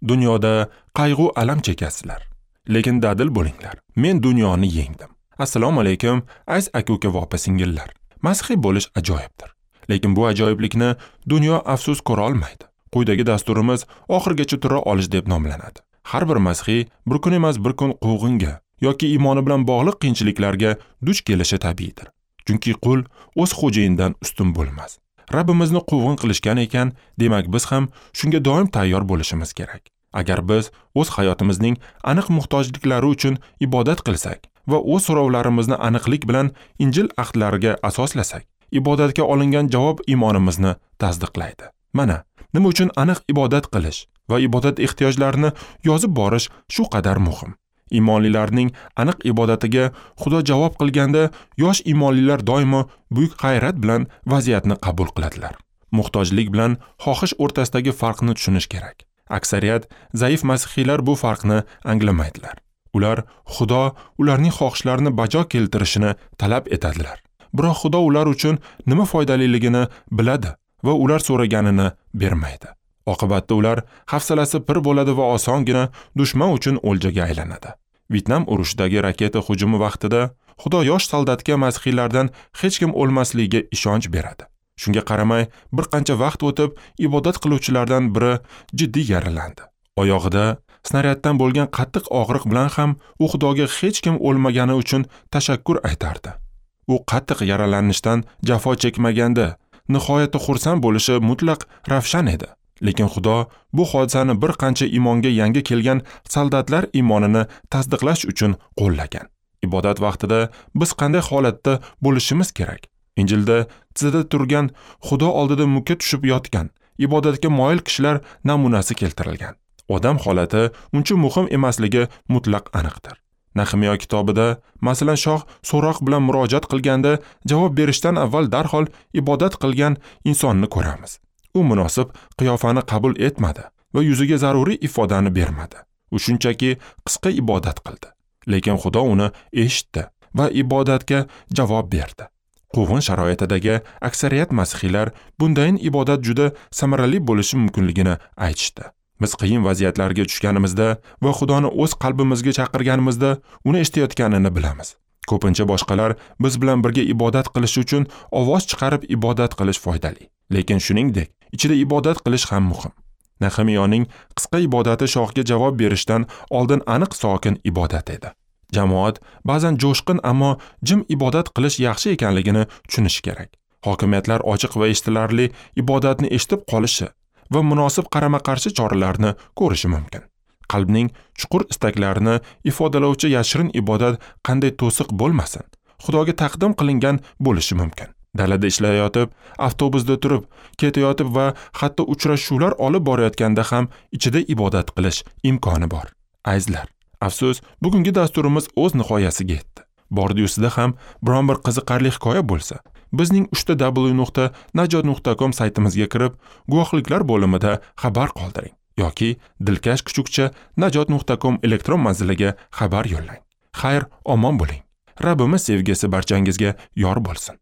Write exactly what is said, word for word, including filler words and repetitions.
Dunyoda qayg'u alam chekasizlar, lekin dadil bo'linglar. Men dunyoni yengdim. Assalomu alaykum, aziz aka-uka va opa-singillar. Masihiy bo'lish ajoyibdir. Lekin bu ajoyiblikni dunyo afsus ko'ra olmaydi. Quyidagi dasturimiz oxirgacha tura olish deb nomlanadi. Har bir masihiy bir kun emas bir kun quvg'inga yoki iymoni bilan bog'liq qiyinchiliklarga duch kelishi tabiiydir. Chunki qul o'z xo'jayinidan ustun bo'lmas. Rabbimizni quvg'in qilishgan ekan, demak biz ham shunga doim tayyor bo'lishimiz kerak. Agar biz o'z hayotimizning aniq muhtojliklari uchun ibodat qilsak va o'z so'rovlarimizni aniqlik bilan Injil ahdlariga asoslasak, ibodatga olingan javob iymonimizni tasdiqlaydi. Mana nima uchun aniq ibodat qilish va ibodat ehtiyojlarini yozib borish shu qadar muhim. Iymonlilarning aniq ibodatiga Xudo javob qilganda yosh iymonlilar doimo buyuk g'ayrat bilan vaziyatni qabul qiladilar. Muhtojlik bilan xohish o'rtasidagi farqni tushunish kerak. Aksariyat zaif masihiylar bu farqni anglamaydilar. Ular Xudo ularning xohishlarini bajo keltirishini talab etadilar. Biroq Xudo ular uchun nima foydaliligini biladi va ular so'raganini bermaydi. Oqibatda ular hafsalasi pir bo'ladi va osongina dushman uchun o'ljaga aylanadi. Vyetnam urushidagi raketa hujumi vaqtida Xudo yosh soldatga masihiylardan hech kim o'lmasligiga ishonch beradi. Shunga qaramay, bir qancha vaqt o'tib, ibodat qiluvchilardan biri jiddiy yaralandi. Oyog'ida snaryaddan bo'lgan qattiq og'riq bilan ham u Xudoga hech kim o'lmagani uchun tashakkur aytardi. U qattiq yaralanishdan jafo chekmaganda nihoyatda xursand bo'lishi mutlaq ravshan edi. Lekin Xudo bu hodisani bir qancha iymonga yangi kelgan soldatlar iymonini tasdiqlash uchun qo'llagan. Ibodat vaqtida biz qanday holatda bo'lishimiz kerak? Injilda tizada turgan, Xudo oldida mukka tushib yotgan, ibodatga moyil kishilar namunasi keltirilgan. Odam holati uncha muhim emasligi mutlaq aniqdir. Nahimiyo kitobida, masalan, shoh so'roq bilan murojaat qilganda javob berishdan avval darhol ibodat qilgan insonni ko'ramiz. U munosib qiyofani qabul etmadi va yuziga zaruriy ifodani bermadi. U shunchaki qisqa ibodat qildi. Lekin Xudo uni eshitdi va ibodatga javob berdi. Quvg'in sharoitidagi aksariyat masihiylar bundayin ibodat juda samarali bo'lishi mumkinligini aytishdi. Biz qiyin vaziyatlarga tushganimizda va Xudoni o'z qalbimizga chaqirganimizda uni eshitayotganini bilamiz. Ko'pincha boshqalar biz bilan birga ibodat qilish uchun ovoz chiqarib ibodat qilish foydali. Lekin shuningdek, ichida ibodat qilish ham muhim. Nahimiyoning qisqa ibodati shohga javob berishdan oldin aniq sokin ibodat edi. Jamoat ba'zan jo'shqin, ammo jim ibodat qilish yaxshi ekanligini tushunishi kerak. Hokimiyatlar ochiq va eshitilarli ibodatni eshitib qolishi va munosib qarama-qarshi choralarni ko'rishi mumkin. Qalbning chuqur istaklarini ifodalovchi yashirin ibodat qanday to'siq bo'lmasin, Xudoga taqdim qilingan bo'lishi mumkin. Dalada ishlayotib, avtobusda turib, ketayotib va hatto uchrashuvlar olib borayotganda ham ichida ibodat qilish imkoni bor. Azizlar, afsus, bugungi dasturimiz o'z nihoyasiga yetdi. Bordi-yusida ham biron bir qiziqarli hikoya bo'lsa, bizning uchta w nuqta najot nuqta com saytimizga kirib, guvohliklar bo'limida xabar qoldiring yoki dilkash kuchukcha najot nuqta com elektron manziliga xabar yo'llang. Xayr, omon bo'ling. Rabbimiz sevgisi barchangizga yor bo'lsin.